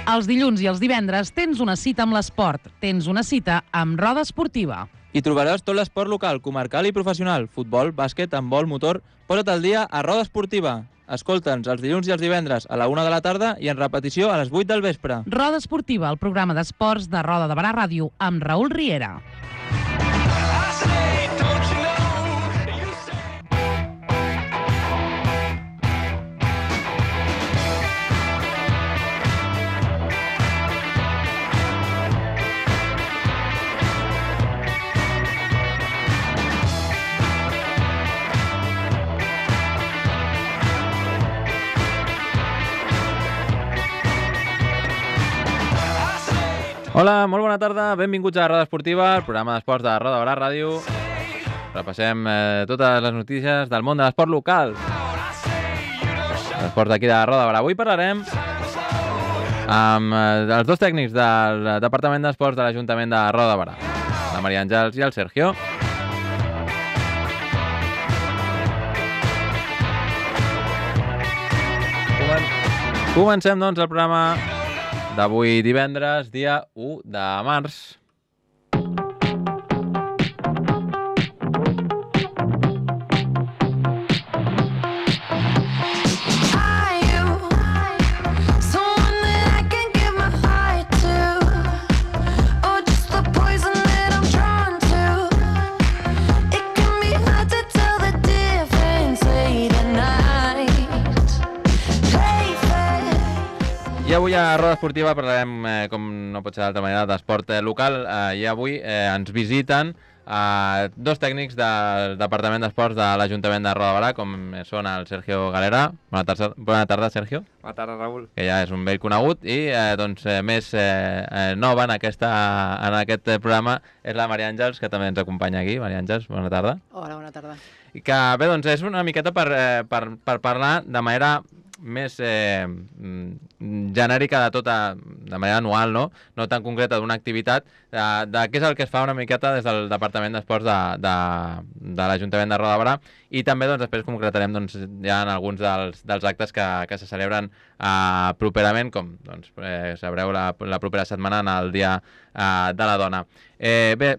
Els dilluns i els divendres tens una cita amb l'esport. Tens una cita amb Roda Esportiva. Hi trobaràs tot l'esport local, comarcal i professional. Futbol, bàsquet, handbol, motor... Posa't al dia a Roda Esportiva. Escolta'ns els dilluns i els divendres a la 1 de la tarda i en repetició a les 8 del vespre. Roda Esportiva, el programa d'esports de Roda de Barà Ràdio, amb Raül Riera. Hola, molt bona tarda, benvinguts a Roda Esportiva, el programa d'esports de Roda de Barà Ràdio. Repassem totes les notícies del món de l'esport local. L'esport d'aquí de Roda de Barà. Avui parlarem amb els dos tècnics del Departament d'Esports de l'Ajuntament de Roda de Barà, la Maria Àngels i el Sergio. Comencem, doncs, el programa d'avui divendres, dia 1 de març. I avui a Roda Esportiva parlarem, com no pot ser d'altra manera, d'esport local. I avui ens visiten dos tècnics del Departament d'Esports de l'Ajuntament de Roda de Barà, com són el Sergio Galera. Bona tarda, Sergio. Bona tarda, Raül. Que ja és un vell conegut. I més nova en aquest programa és la Maria Àngels, que també ens acompanya aquí. Maria Àngels, bona tarda. Hola, bona tarda. I que bé, doncs és una miqueta per parlar de manera més genèrica de tota, de manera anual, no tan concreta d'una activitat, de què és el que es fa una miqueta des del Departament d'Esports de l'Ajuntament de Roda de Barà, i també doncs, després concretarem ja en alguns dels actes que se celebren properament, com doncs, sabreu la propera setmana en el Dia de la Dona. Bé,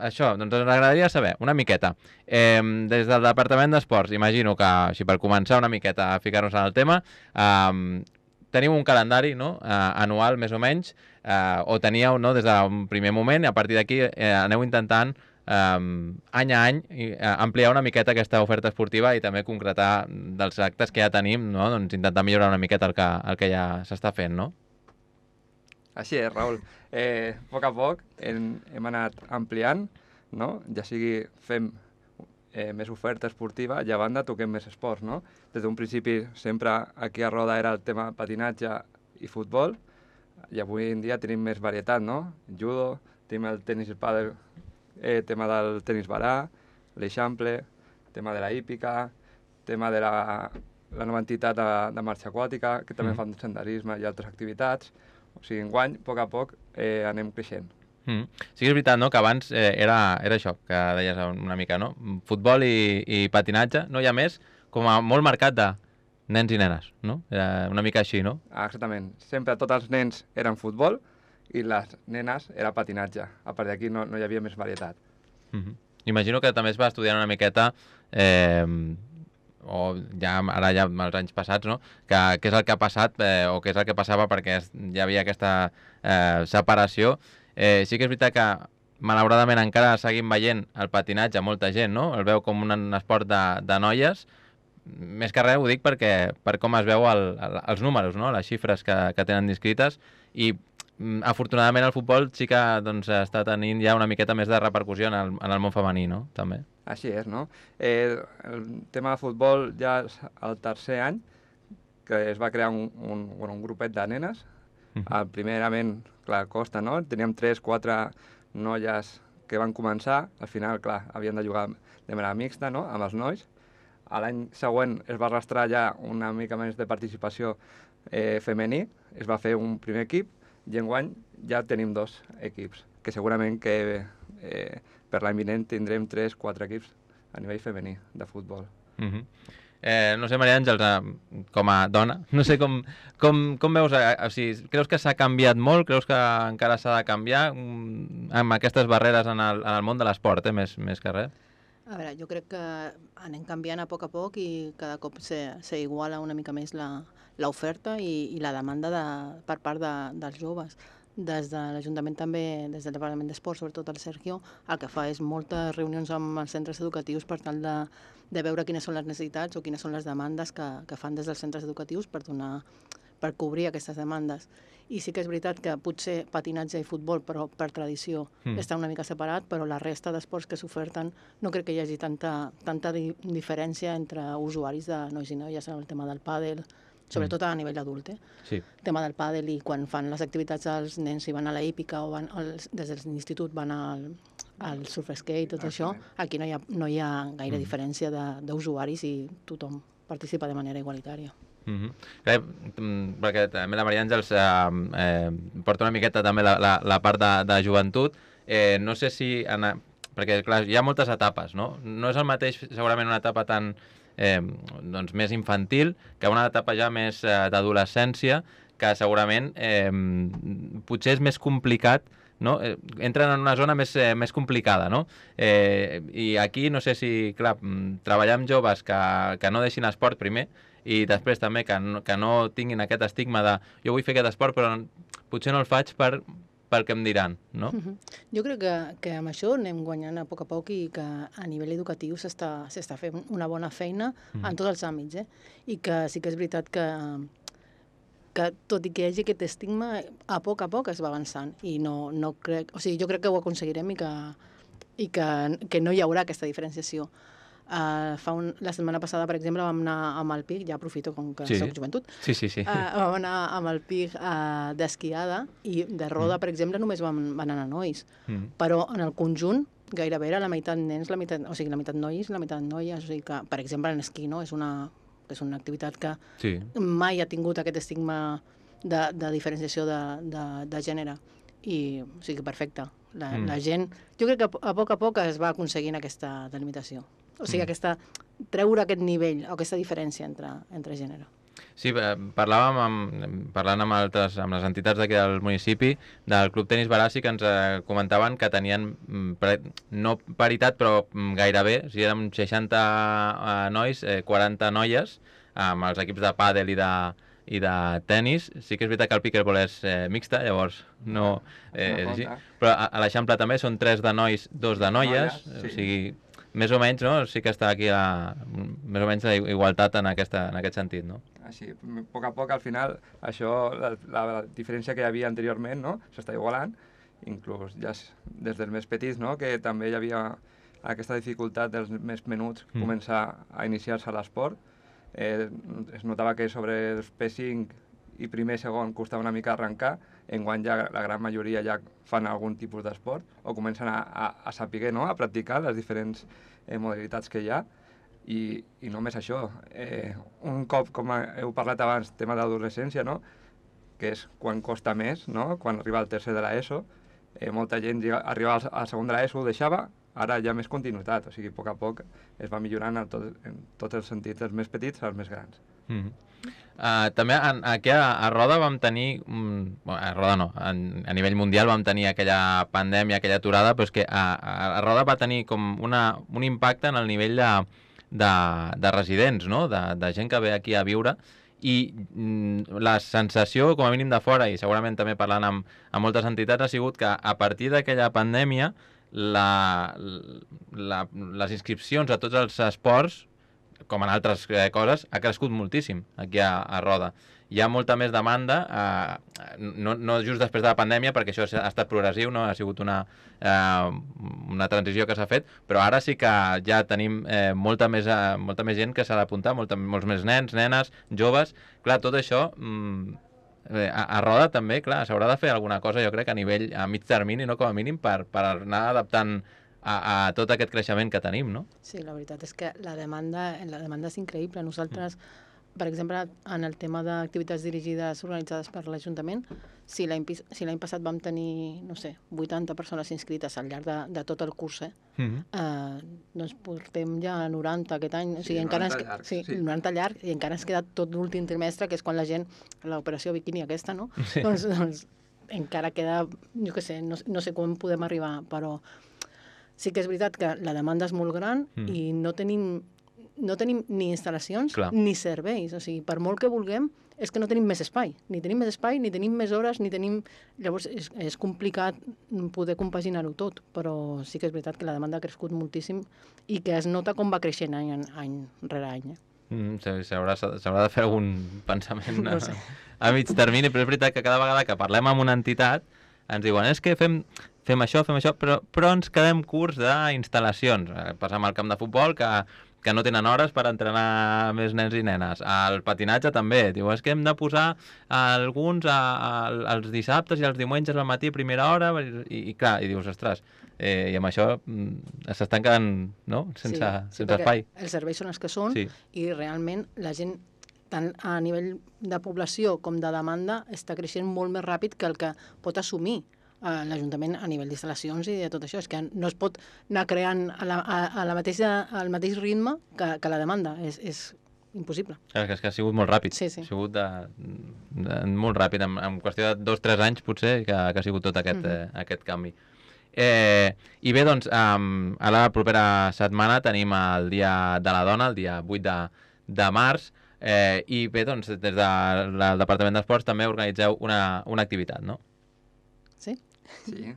això, doncs ens agradaria saber una miqueta. Des del Departament d'Esports, imagino que, així per començar una miqueta a ficar-nos en el tema, teniu un calendari anual, més o menys, o teníeu des d'un primer moment, i a partir d'aquí aneu intentant any a any ampliar una miqueta aquesta oferta esportiva i també concretar dels actes que ja tenim, doncs intentar millorar una miqueta el que ja s'està fent, no? Així és, Raül. A poc hem anat ampliant, no? Ja sigui fem més oferta esportiva i a banda toquem més esports, no? Des d'un principi sempre aquí a Roda era el tema patinatge i futbol, i avui en dia tenim més varietat, no? Judo, tenim el tenis i pàdel, tema del tenis barà, l'eixample, tema de la hípica, tema de la nova entitat de marxa aquàtica, que també fan senderisme i altres activitats. O sigui, enguany, a poc, anem creixent. Sí que és veritat, no?, que abans era això, que deies una mica, no? Futbol i patinatge, no hi ha més, com a molt marcat de nens i nenes, no? Era una mica així, no? Exactament. Sempre tots els nens eren futbol i les nenes era patinatge. A part d'aquí no hi havia més varietat. Imagino que també es va estudiar una miqueta, o ara ja els anys passats, no?, què és el que ha passat o què és el que passava perquè hi havia aquesta separació. Sí que és veritat que malauradament encara seguim veient el patinatge a molta gent, no? El veu com un esport de noies. Més que res ho dic per com es veu els números, no?, les xifres que tenen descrites, i afortunadament el futbol sí que està tenint ja una miqueta més de repercussió en el món femení, no?, també. Així és, no? El tema de futbol ja és el tercer any que es va crear un grupet de nenes. Primerament, clar, costa, no? Teníem 3-4 noies que van començar. Al final, clar, havien de jugar de manera mixta, no?, amb els nois. L'any següent es va arrastrar ja una mica més de participació femení. Es va fer un primer equip i enguany ja tenim 2 equips, que segurament que per l'any vinent tindrem 3-4 equips a nivell femení de futbol. no sé, Maria Àngels, com a dona, no sé com veus, o sigui, creus que s'ha canviat molt, creus que encara s'ha de canviar amb aquestes barreres en el món de l'esport, més que res? A veure, jo crec que anem canviant a poc i cada cop s'iguala una mica més l'oferta i la demanda per part dels joves. Des de l'Ajuntament també, des del Departament d'Esport, sobretot el Sergio, el que fa és moltes reunions amb els centres educatius per tal de veure quines són les necessitats o quines són les demandes que fan des dels centres educatius per cobrir aquestes demandes. I sí que és veritat que potser patinatge i futbol, però per tradició, està una mica separat, però la resta d'esports que s'oferten no crec que hi hagi tanta diferència entre usuaris de nois i noies en el tema del pàdel, sobretot a nivell adult. Sí. El tema del pàdel i quan fan les activitats els nens i van a la hípica o des de l'institut van al surf skate, tot això, aquí no hi ha gaire diferència d'usuaris i tothom participa de manera igualitària. Perquè també la Maria Àngels porta una miqueta també la part de joventut. No sé si... Perquè, clar, hi ha moltes etapes, no? No és el mateix, segurament, una etapa tan més infantil que una etapa ja més d'adolescència, que segurament potser és més complicat, no? Entren en una zona més complicada, no? I aquí no sé si, clar, treballar amb joves que no deixin esport primer i després també que no tinguin aquest estigma de jo vull fer aquest esport però potser no el faig pel que em diran, no? Jo crec que amb això anem guanyant a poc i que a nivell educatiu s'està fent una bona feina en tots els àmbits, i que sí que és veritat que tot i que hi hagi aquest estigma, a poc es va avançant i no crec... O sigui, jo crec que ho aconseguirem i que no hi haurà aquesta diferenciació. La setmana passada, per exemple, vam anar amb el PIC, ja aprofito com que soc joventut, vam anar amb el PIC d'esquiada i de roda, per exemple, només van anar nois, però en el conjunt gairebé era la meitat nens, la meitat nois, la meitat noies, o sigui que, per exemple, en esquí, no? És una activitat que mai ha tingut aquest estigma de diferenciació de gènere i, o sigui, perfecte. La gent, jo crec que a poc es va aconseguint aquesta delimitació. O sigui, treure aquest nivell o aquesta diferència entre gènere. Sí, parlant amb les entitats d'aquí del municipi, del Club Tenis Barassi, que ens comentaven que tenien, no paritat, però gairebé, o sigui, eren 60 nois, 40 noies, amb els equips de pàdel i de tenis. Sí que és veritat que el pickleball és mixta, llavors no és així. Però a l'Eixample també són 3 de nois, 2 de noies, o sigui... Més o menys, no? Sí que està aquí més o menys la igualtat en aquest sentit, no? Així, a poc, al final, això, la diferència que hi havia anteriorment, no? S'està igualant, inclús ja des dels més petits, no? Que també hi havia aquesta dificultat dels més menuts començar a iniciar-se a l'esport. Es notava que sobre els P5 i primer i segon costava una mica arrencar, enguany ja la gran majoria ja fan algun tipus d'esport o comencen a saber, no? A practicar les diferents modalitats que hi ha i només això. Un cop, com heu parlat abans, tema d'adolescència, no? Que és quan costa més, no? Quan arriba al tercer de l'ESO, molta gent arribava al segon de l'ESO, ho deixava, ara hi ha més continuïtat, o sigui, a poc es va millorant en tots els sentits, dels més petits als més grans. També aquí a Roda vam tenir, a Roda no, a nivell mundial vam tenir aquella pandèmia, aquella aturada, però és que a Roda va tenir com un impacte en el nivell de residents, no? De gent que ve aquí a viure, i la sensació, com a mínim de fora, i segurament també parlant amb moltes entitats, ha sigut que a partir d'aquella pandèmia les inscripcions a tots els esports, com en altres coses, ha crescut moltíssim aquí a Roda. Hi ha molta més demanda, no just després de la pandèmia, perquè això ha estat progressiu, no? Ha sigut una transició que s'ha fet, però ara sí que ja tenim molta més gent que s'ha d'apuntar, molts més nens, nenes, joves. Clar, tot això a Roda també, clar, s'haurà de fer alguna cosa, jo crec, a mig termini, no, com a mínim, per anar adaptant a tot aquest creixement que tenim, no? Sí, la veritat és que la demanda és increïble. Nosaltres per exemple, en el tema d'activitats dirigides organitzades per l'Ajuntament, si l'any passat vam tenir, no sé, 80 persones inscrites al llarg de tot el curs, doncs portem ja 90 aquest any. O sigui, encara 90 llargs. Sí, 90 llargs, i encara ens queda tot l'últim trimestre, que és quan la gent, l'operació biquini aquesta, no? Sí. Doncs encara queda, jo què sé, no sé quan podem arribar, però sí que és veritat que la demanda és molt gran i no tenim ni instal·lacions ni serveis. O sigui, per molt que vulguem, és que no tenim més espai. Ni tenim més espai, ni tenim més hores, ni tenim... Llavors, és complicat poder compaginar-ho tot, però sí que és veritat que la demanda ha crescut moltíssim i que es nota com va creixent any rere any. S'haurà de fer algun pensament No sé. a mig termini, però és veritat que cada vegada que parlem amb una entitat ens diuen és que fem això, però ens quedem curts d'instal·lacions. Passa amb el camp de futbol que no tenen hores per entrenar més nens i nenes. El patinatge també. Diu, és que hem de posar alguns els dissabtes i els diumenges al matí a primera hora i clar, i dius, ostres, i amb això s'estan quedant sense espai. Els serveis són els que són i realment la gent, tant a nivell de població com de demanda, està creixent molt més ràpid que el que pot assumir l'Ajuntament a nivell d'instal·lacions i de tot això. És que no es pot anar creant al mateix ritme que la demanda. És impossible. És que ha sigut molt ràpid. Sí. Ha sigut molt ràpid. En qüestió de 2 o 3 anys, potser, que ha sigut tot aquest canvi. I bé, doncs, a la propera setmana tenim el Dia de la Dona, el dia 8 de març, i bé, doncs, des del Departament d'Esports també organitzeu una activitat, no? Sí? Sí.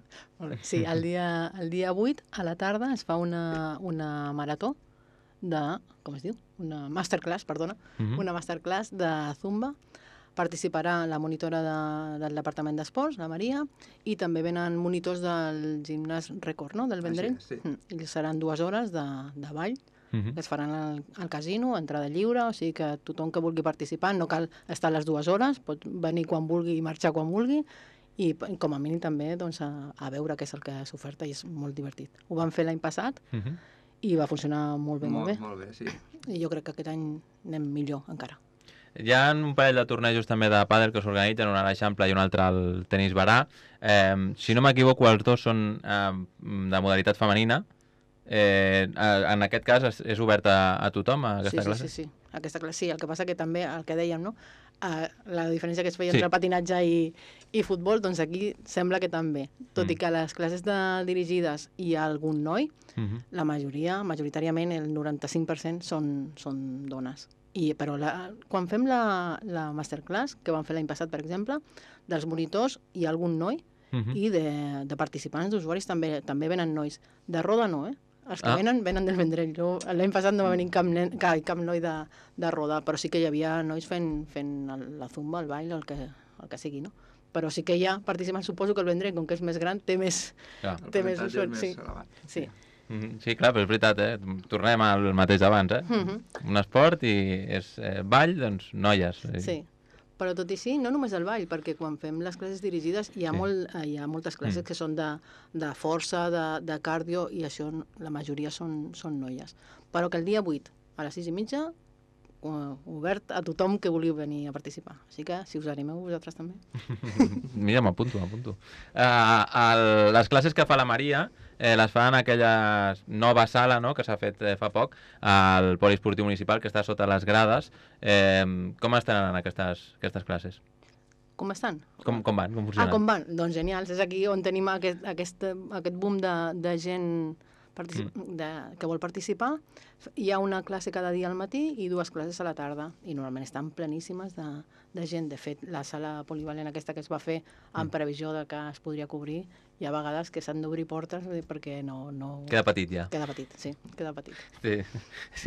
Sí, el dia 8 a la tarda es fa una marató com es diu? Una masterclass, perdona. Una masterclass de Zumba. Participarà la monitora del Departament d'Esports, la Maria, i també venen monitors del gimnàs Record, no?, del Vendrell. Sí. I seran 2 hores de ball, que es faran al casino, entrada lliure, o sigui que tothom que vulgui participar, no cal estar les 2 hores, pot venir quan vulgui i marxar quan vulgui, i com a mínim també doncs, a veure què és el que s'oferta, i és molt divertit. Ho vam fer l'any passat i va funcionar molt bé. Molt bé, sí. I jo crec que aquest any anem millor encara. Hi ha un parell de tornejos també de pàdel que s'organitzen, un a l'Eixample i un altre al Tenis Barà. Si no m'equivoco, els dos són de modalitat femenina. En aquest cas és obert a tothom, aquesta classe? Sí. Aquesta classe, sí. El que passa que també, el que dèiem, no? La diferència que es feia entre patinatge i futbol, doncs aquí sembla que també. Tot i que a les classes dirigides hi ha algun noi, la majoritàriament, el 95% són dones. Però quan fem la masterclass, que vam fer l'any passat, per exemple, dels monitors hi ha algun noi, i de participants, d'usuaris, també venen nois. De roda no, Els que venen del Vendrell. L'any passat no va venir cap noi de roda, però sí que hi havia nois fent la zumba, el ball, el que sigui, no? Però sí que hi ha participants, suposo que el Vendrell, com que és més gran, té més usuaris. Sí. Sí, clar, però és veritat, tornem al mateix d'abans, un esport i és ball, doncs noies. Sí, però tot i sí, no només el ball, perquè quan fem les classes dirigides hi ha moltes classes que són de força, de cardio, i això la majoria són noies. Però que el dia 8 a les 6:30 obert a tothom que vulgui venir a participar. Així que, si us animeu vosaltres també. Mira, m'apunto. Les classes que fa la Maria les fa en aquella nova sala, no?, que s'ha fet fa poc al Poliesportiu Municipal, que està sota les grades. Com estan aquestes classes? Com estan? Com van? Com funcionen? Com van? Doncs genials. És aquí on tenim aquest boom de gent que vol participar. Hi ha una classe cada dia al matí i 2 classes a la tarda, i normalment estan pleníssimes de gent. De fet, la sala polivalent aquesta que es va fer en previsió de que es podria cobrir, hi ha vegades que s'han d'obrir portes perquè no... Queda petit ja. Queda petit, sí, queda petit. Sí,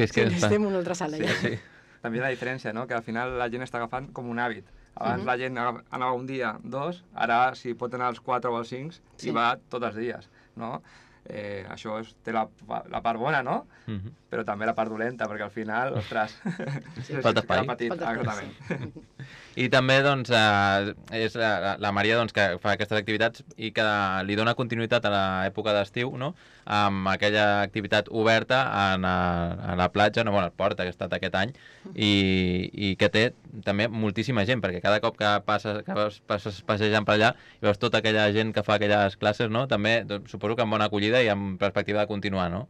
és que estem en una altra sala ja. Sí. També la diferència, no?, que al final la gent està agafant com un hàbit. Abans la gent anava un dia, 2, ara si pot anar als 4 o als 5 i va tots els dies, no? Això té la part bona, no? Però també la part dolenta, perquè al final, ostres... Falta espai. Exactament. I també doncs, és la Maria doncs, que fa aquestes activitats i que li dona continuïtat a l'època d'estiu, no? Amb aquella activitat oberta a la platja, no, bueno, al port, que ha estat aquest any, i que té també moltíssima gent, perquè cada cop que passes passejant per allà i veus tota aquella gent que fa aquelles classes, no? També doncs, suposo que amb bona acollida i amb perspectiva de continuar, no?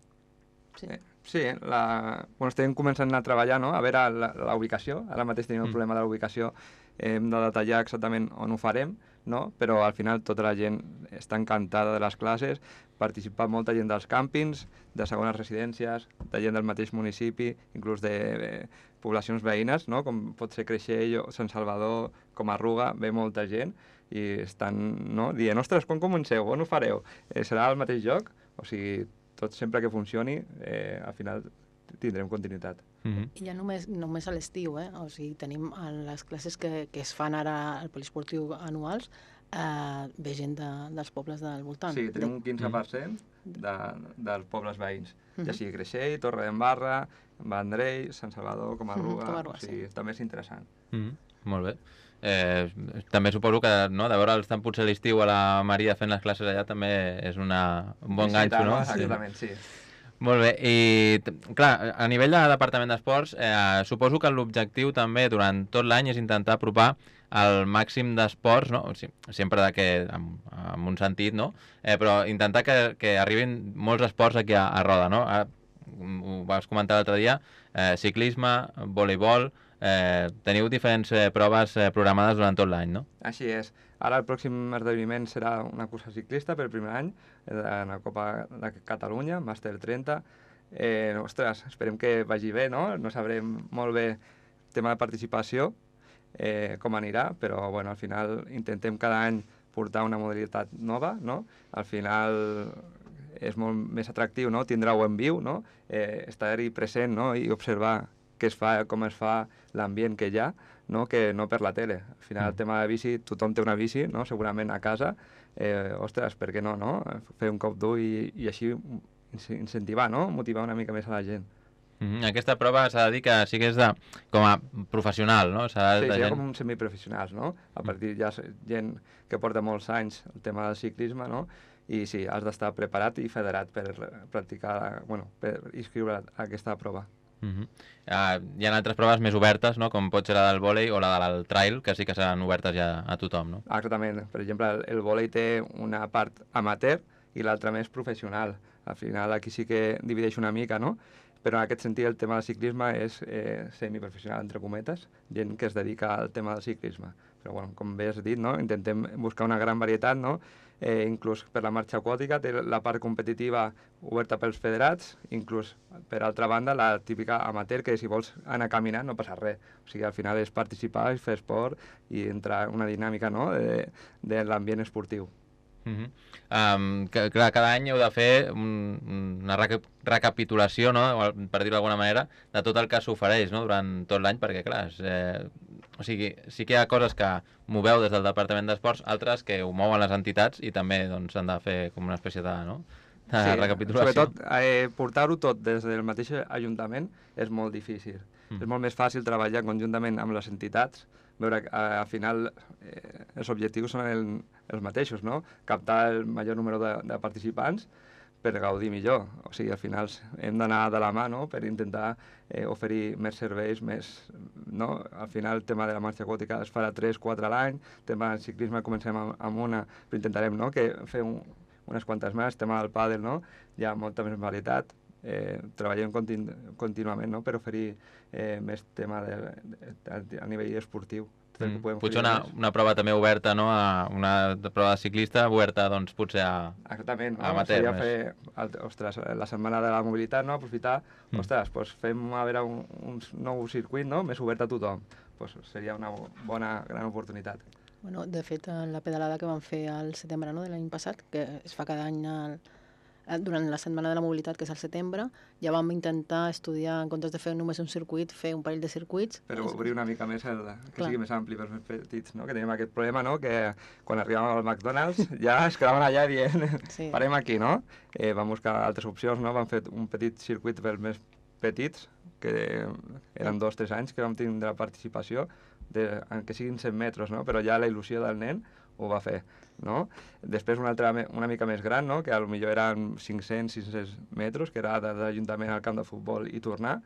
Sí, bueno, estem començant a treballar, no? A veure la ubicació. Ara mateix tenim el problema de la ubicació. Hem de detallar exactament on ho farem, no? Però al final tota la gent està encantada de les classes, participa molta gent dels càmpings, de segones residències, de gent del mateix municipi, inclús de poblacions veïnes, no? Com pot ser Creixell o Sant Salvador, com Arruga, ve molta gent i estan, no? Dient, ostres, quan comenceu? On ho fareu? Serà al mateix lloc? O sigui, tot sempre que funcioni, al final tindrem continuïtat. I ja només a l'estiu, o sigui, tenim les classes que es fan ara al poliesportiu anuals, ve gent dels pobles del voltant. Sí, tenim un 15% dels pobles veïns, ja sigui Creixell, Torredembarra, Vendrell, Sant Salvador, Comarruga, o sigui, també és interessant. Molt bé. També suposo que no, de veure'ls tant potser a l'estiu a la Maria fent les classes allà també és un bon ganxo, no? Exactament, sí. Molt bé, i clar, a nivell de Departament d'Esports, suposo que l'objectiu també durant tot l'any és intentar apropar el màxim d'esports, no? Sempre amb un sentit, no? Però intentar que arribin molts esports aquí a Roda, no? Ho vas comentar l'altre dia, ciclisme, voleibol, teniu diferents proves programades durant tot l'any, no? Així és. Ara el pròxim esdeveniment serà una cursa ciclista per primer any, en la Copa de Catalunya, Màster 30. Ostres, esperem que vagi bé, no? No sabrem molt bé el tema de participació, com anirà, però bueno, al final intentem cada any portar una modalitat nova, no? Al final és molt més atractiu, no? Tindrà-ho en viu, no? Estar-hi present, no? I observar què es fa, com es fa, l'ambient que hi ha, no? Que no per la tele. Al final el tema de bici, tothom té una bici, no? Segurament a casa. Ostres, per què no, no? Fer un cop dur i així incentivar, no? Motivar una mica més a la gent. Aquesta prova s'ha de dir que sí que és com a professional, no? Sí, seria com un semiprofessionals, no? A partir ja gent que porta molts anys el tema del ciclisme, no? I sí, has d'estar preparat i federat per practicar, bueno, per inscriure aquesta prova. Hi ha altres proves més obertes, no? Com pot ser la del vòlei o la del trail, que sí que seran obertes ja a tothom, no? Exactament. Per exemple, el vòlei té una part amateur i l'altra més professional. Al final aquí sí que divideix una mica, no? Però en aquest sentit el tema del ciclisme és semiprofessional, entre cometes, gent que es dedica al tema del ciclisme. Però bueno, com bé has dit, no? Intentem buscar una gran varietat, no? Inclús per la marxa aquàtica té la part competitiva oberta pels federats, inclús per altra banda la típica amateur que si vols anar caminant no passa res. O sigui, al final és participar, és fer esport i entrar en una dinàmica, no? de l'ambient esportiu. Clar, cada any heu de fer una recapitulació, no? Per dir-ho d'alguna manera, de tot el que s'ofereix, no? Durant tot l'any, perquè clar, o sigui, sí que hi ha coses que moveu des del Departament d'Esports, altres que ho mouen les entitats i també doncs, s'han de fer com una espècie de, no? De recapitulació. Sobretot, portar-ho tot des del mateix Ajuntament és molt difícil. És molt més fàcil treballar conjuntament amb les entitats, veure que al final els objectius són els mateixos, no? Captar el major número de participants per gaudir millor. O sigui, al final hem d'anar de la mà, no? Per intentar oferir més serveis, no? Al final el tema de la marxa aquàtica es farà 3-4 a l'any, el tema del ciclisme comencem amb una, però intentarem, no? Que fer unes quantes més, el tema del pàdel, no? Hi ha molta més varietat. Treballem contínuament, no? Per oferir més tema a nivell esportiu. Potser una prova també oberta, no? Una prova de ciclista oberta, doncs, potser a exactament, no? amateur. Seria fer, ostres, la setmana de la mobilitat, no? Aprofitar, ostres, doncs fem a veure un nou circuit, no? Més obert a tothom. Doncs seria una bona, gran oportunitat. Bueno, de fet, la pedalada que vam fer al setembre, no? De l'any passat, que es fa cada any durant la Setmana de la Mobilitat, que és al setembre, ja vam intentar estudiar, en comptes de fer només un circuit, fer un parell de circuits. Però obrir una mica més que Clar. sigui més ampli pels més petits, no? Que tenim aquest problema, no? Que quan arribàvem al McDonald's ja es quedaven allà dient Sí. parem aquí, no? Vam buscar altres opcions, no? Vam fer un petit circuit pels més petits, que eren 2 o 3 anys que vam tindre participació, que siguin 100 metres, no? Però ja la il·lusió del nen ho va fer, no? Després una mica més gran, no? Que potser eren 500-600 metres, que era de l'Ajuntament al camp de futbol i tornar,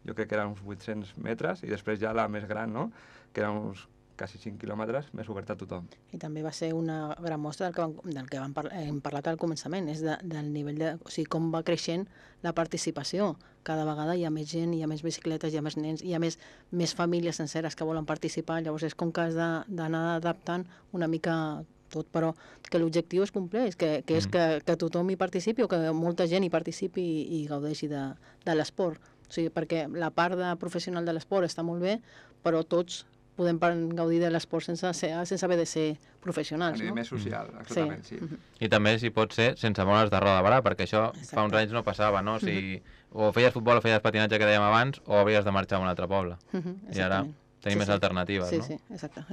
jo crec que eren uns 800 metres, i després ja la més gran, no? Que eren uns quasi 5 quilòmetres, més oberta a tothom. I també va ser una gran mostra del que hem parlat al començament, és del nivell de... O sigui, com va creixent la participació. Cada vegada hi ha més gent, hi ha més bicicletes, hi ha més nens, hi ha més famílies senceres que volen participar, llavors és com que has d'anar adaptant una mica tot, però que l'objectiu es compleix, que és que tothom hi participi o que molta gent hi participi i gaudeixi de l'esport. O sigui, perquè la part professional de l'esport està molt bé, però tots podem gaudir de l'esport sense haver de ser professionals, A nivell no? més social, exactament, sí. I també, si pot ser, sense moure's de roda de barà, perquè això fa uns anys no passava, no? O sigui, o feies futbol o feies patinatge, que dèiem abans, o havies de marxar a un altre poble. I ara tenim més alternatives, no? Sí, exacte.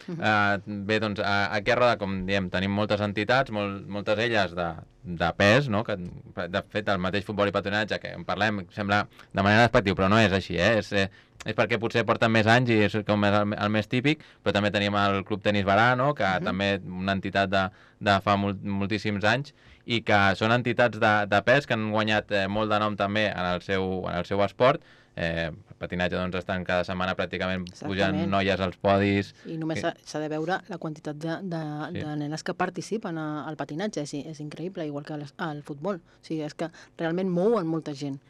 Bé, doncs, aquí a Roda, com diem, tenim moltes entitats, moltes elles de pes, no? Que, de fet, el mateix futbol i patinatge, que en parlem, sembla de manera despectiva, però no és així, és perquè potser porten més anys i és com el més típic, però també tenim el Club Tenis Barà, no? Que també una entitat de fa moltíssims anys, i que són entitats de pes que han guanyat molt de nom també en el seu esport. El patinatge, doncs, estan cada setmana pràcticament pujant noies als podis. I només s'ha de veure la quantitat de nenes que participen al patinatge, és increïble, igual que al futbol. O sigui, és que realment mouen molta gent.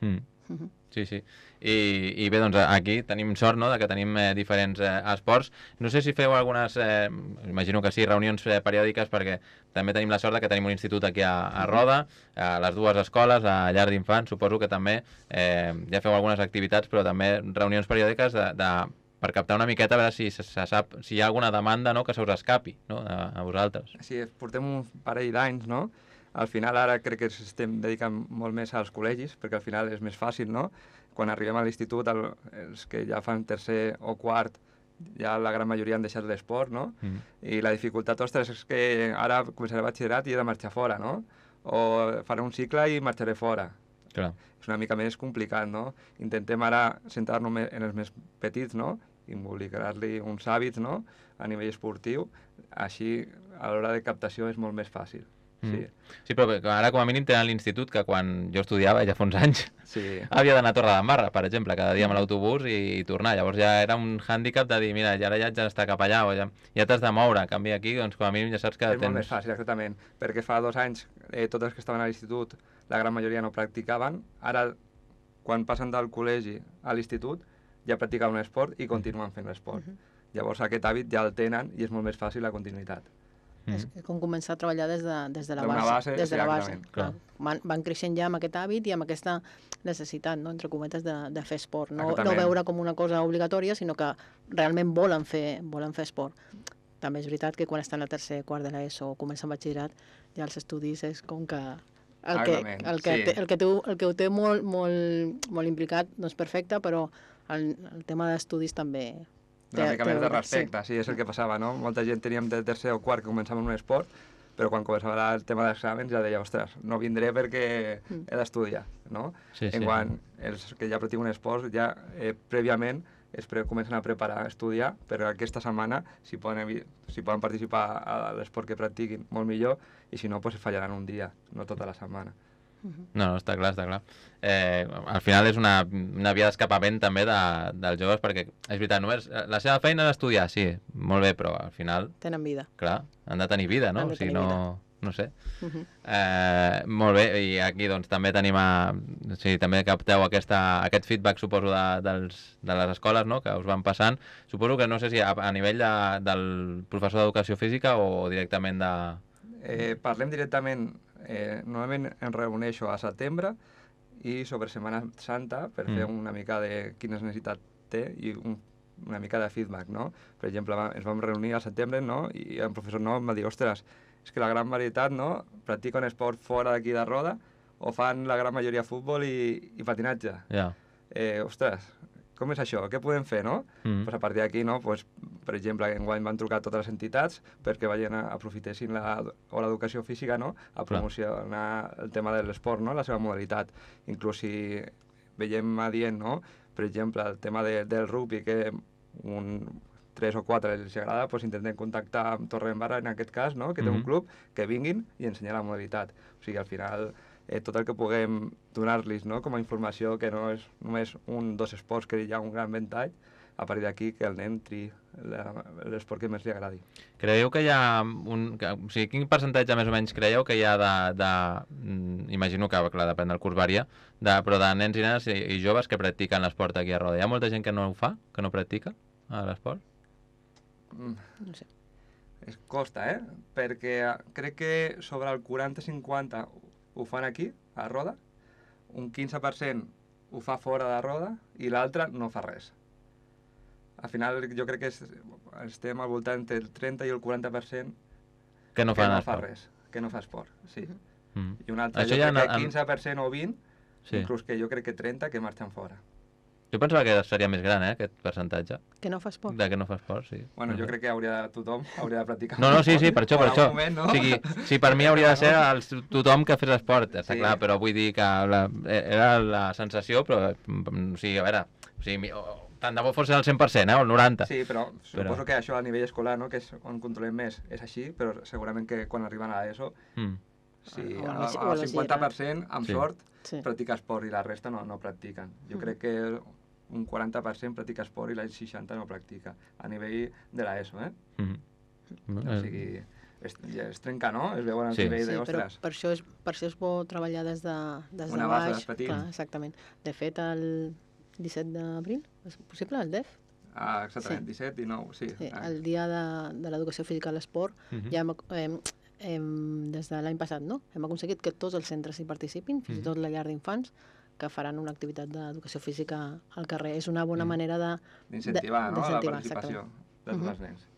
Sí, sí. I bé, doncs aquí tenim sort, no?, de que tenim diferents esports. No sé si feu algunes, imagino que sí, reunions periòdiques, perquè també tenim la sort de que tenim un institut aquí a Roda, a les dues escoles, a llar d'infants, suposo que també ja feu algunes activitats, però també reunions periòdiques per captar una miqueta, a veure si se sap si hi ha alguna demanda, no?, que se us escapi, no?, a vosaltres. Sí, portem un parell d'anys, no? Al final ara crec que ens estem dedicant molt més als col·legis, perquè al final és més fàcil, no? Quan arribem a l'institut, els que ja fan tercer o quart, ja la gran majoria han deixat l'esport, no? I la dificultat, ostres, és que ara començaré batxillerat i he de marxar fora, no? O faré un cicle i marxaré fora. Clar. És una mica més complicat, no? Intentem ara centrar-nos en els més petits, no? Involucrar-li uns hàbits, no?, a nivell esportiu, així a l'hora de captació és molt més fàcil. Sí, però ara com a mínim tenen l'institut, que quan jo estudiava, ja fa uns anys, havia d'anar a Torredembarra, per exemple, cada dia amb l'autobús i tornar. Llavors ja era un hàndicap de dir, mira, ara ja haig d'estar cap allà, o ja t'has de moure. En canvi aquí, doncs com a mínim ja saps que és molt més fàcil, exactament, perquè fa 2 anys tots els que estaven a l'institut, la gran majoria no practicaven. Ara, quan passen del col·legi a l'institut, ja practicaven un esport i continuen fent l'esport. Llavors aquest hàbit ja el tenen i és molt més fàcil la continuïtat. És com començar a treballar des de la base. Des de la base. Van creixent ja amb aquest hàbit i amb aquesta necessitat, no?, entre cometes, de fer esport. No veure com una cosa obligatòria, sinó que realment volen fer esport. També és veritat que quan estan a tercer, quart de l'ESO o comencen batxillerat, ja els estudis és com que el que ho té molt implicat no és perfecte, però el tema d'estudis també... Una mica més de respecte, sí, és el que passava, no? Molta gent teníem de tercer o quart que començàvem un esport, però quan començava el tema d'exàmens ja deia, ostres, no vindré perquè he d'estudiar, no? Quan els que ja practiquen un esport, ja prèviament comencen a preparar a estudiar, però aquesta setmana, si poden participar a l'esport que practiquin, molt millor, i si no, fallaran un dia, no tota la setmana. No, està clar, està clar. Al final és una via d'escapament també dels joves, perquè és veritat, només la seva feina és estudiar, sí, molt bé, però al final... Tenen vida. Clar, han de tenir vida, no? O sigui, no sé. Molt bé, i aquí doncs també tenim també capteu aquest feedback, suposo, de les escoles, no?, que us van passant. Suposo que no sé si a nivell del professor d'educació física o directament de... Parlem directament... Normalment em reuneixo a setembre i sobre Setmana Santa per fer una mica de quines necessitats té i una mica de feedback, no? Per exemple, ens vam reunir al setembre, no?, i el professor no em va dir, ostres, és que la gran varietat, no?, practiquen esport fora d'aquí de Roda o fan la gran majoria futbol i patinatge. Ja. Ostres, com és això? Què podem fer, no? Pues a partir d'aquí, no? Pues, per exemple, enguany van trucar totes les entitats perquè aprofitessin l'educació física, no?, a promocionar el tema de l'esport, no?, la seva modalitat. Inclús si veiem adient, no?, per exemple, el tema del rugby, que 3 o 4 els agrada, doncs intentem contactar amb Torredembarra, en aquest cas, no?, que té un club, que vinguin i ensenyar la modalitat. O sigui, al final, tot el que puguem donar-los, no?, com a informació, que no és només 1 o 2 esports, que hi ha un gran ventall, a partir d'aquí que el nen triï l'esport que més li agradi. Creieu que hi ha o sigui, quin percentatge més o menys creieu que hi ha imagino que, clar, depèn del curs varia, però de nens i nenes i joves que practiquen l'esport aquí a Roda? Hi ha molta gent que no ho fa, que no practica l'esport? No sé. Costa, perquè crec que sobre el 40-50 ho fan aquí, a Roda, un 15% ho fa fora de Roda i l'altre no fa res. Al final jo crec que estem al voltant entre el 30 i el 40% que no fa res, que no fa esport, sí. I un altre, això jo crec que 15% o 20%, inclús que jo crec que 30% que marxen fora. Jo pensava que seria més gran, aquest percentatge. Que no fa esport? Que no fa esport, sí. Bueno, jo crec que tothom hauria de practicar No, sí, per això. Moment, no? O sigui, sí, per mi hauria de ser tothom que fes esport, està clar, però vull dir que era la sensació, però, o sigui, a veure, tant de bo fos el 100%, o el 90%. Sí, però suposo que això a nivell escolar, no?, que és on controlem més, és així, però segurament que quan arriben a l'ESO, sí, el 50% amb sort practica esport i la resta no practiquen. Jo crec que un 40% practica esport i el 60% no practica, a nivell de l'ESO, O sigui, es trenca, no? Es veu en el nivell de, ostres. Per això és bo treballar des de una base baix. petit. Clar, exactament. De fet, el 17 d'abril, és possible, el DEF? Exactament, 17 i 9, sí. El dia de l'educació física a l'esport, ja des de l'any passat, no? Hem aconseguit que tots els centres hi participin, fins i tot la llar d'infants, que faran una activitat d'educació física al carrer. És una bona manera d'incentivar, no?, la participació de tots els nens.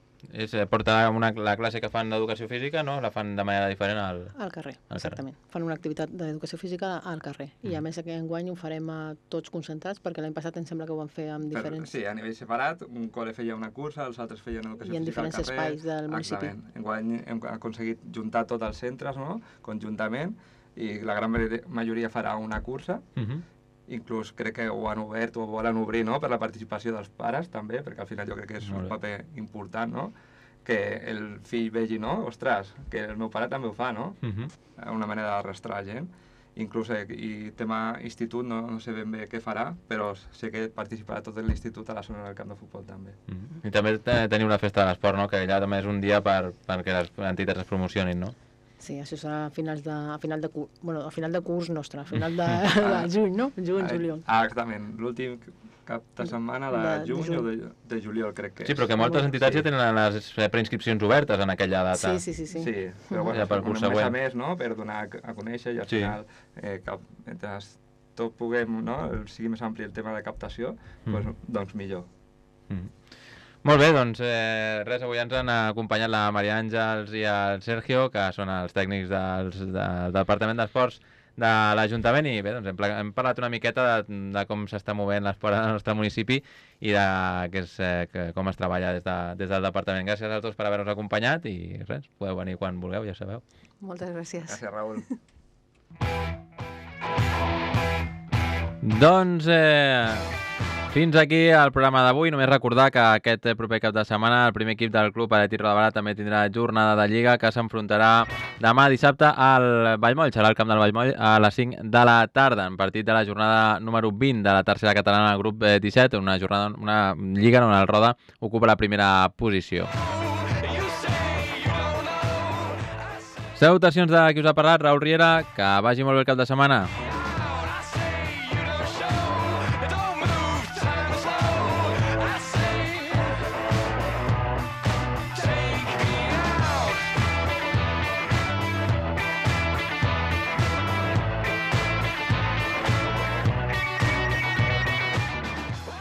Portar la classe que fan d'educació física, no? La fan de manera diferent al carrer, exactament. Fan una activitat d'educació física al carrer. I a més enguany ho farem tots concentrats, perquè l'any passat em sembla que ho van fer amb diferents... Sí, a nivell separat, un col·le feia una cursa, els altres feien educació física al carrer. I en diferents espais del municipi. Exactament. Enguany hem aconseguit juntar tots els centres, no?, conjuntament, i la gran majoria farà una cursa. Inclús crec que ho han obert o ho volen obrir, no?, per la participació dels pares també, perquè al final jo crec que és un paper important, no?, que el fill vegi, no?, ostres, que el meu pare també ho fa, no?, una manera d'arrastrar la gent. Inclús i tema institut no sé ben bé què farà, però sé que participarà tot l'institut a la zona del camp de futbol també. I també teniu una festa de l'esport, no?, que allà també és un dia perquè les entitats es promocionin, no? Sí, això serà a final de curs nostre, a final de juny, no? Juny, juliol. Exactament, l'últim cap de setmana de juny o de juliol, crec que és. Sí, però que moltes entitats ja tenen les preinscripcions obertes en aquella data. Sí. Sí, però bueno, a més, no?, per donar a conèixer i al final, mentre tot puguem, no?, sigui més ampli el tema de captació, doncs millor. Molt bé, doncs res, avui ens han acompanyat la Maria Àngels i el Sergio, que són els tècnics del Departament d'Esports de l'Ajuntament, i bé, doncs hem parlat una miqueta de com s'està movent l'esport al nostre municipi i de com es treballa des del Departament. Gràcies a tots per haver-nos acompanyat i res, podeu venir quan vulgueu, ja sabeu. Moltes gràcies. Gràcies, Raül. Doncs fins aquí el programa d'avui. Només recordar que aquest proper cap de setmana el primer equip del Club Atlètic Roda també tindrà jornada de Lliga, que s'enfrontarà demà dissabte al Vallmoll. Serà al camp del Vallmoll a les 5 de la tarda, en partit de la jornada número 20 de la tercera catalana al grup 17, una Lliga on el Roda ocupa la primera posició. Salutacions de qui us ha parlat, Raül Riera, que vagi molt bé el cap de setmana.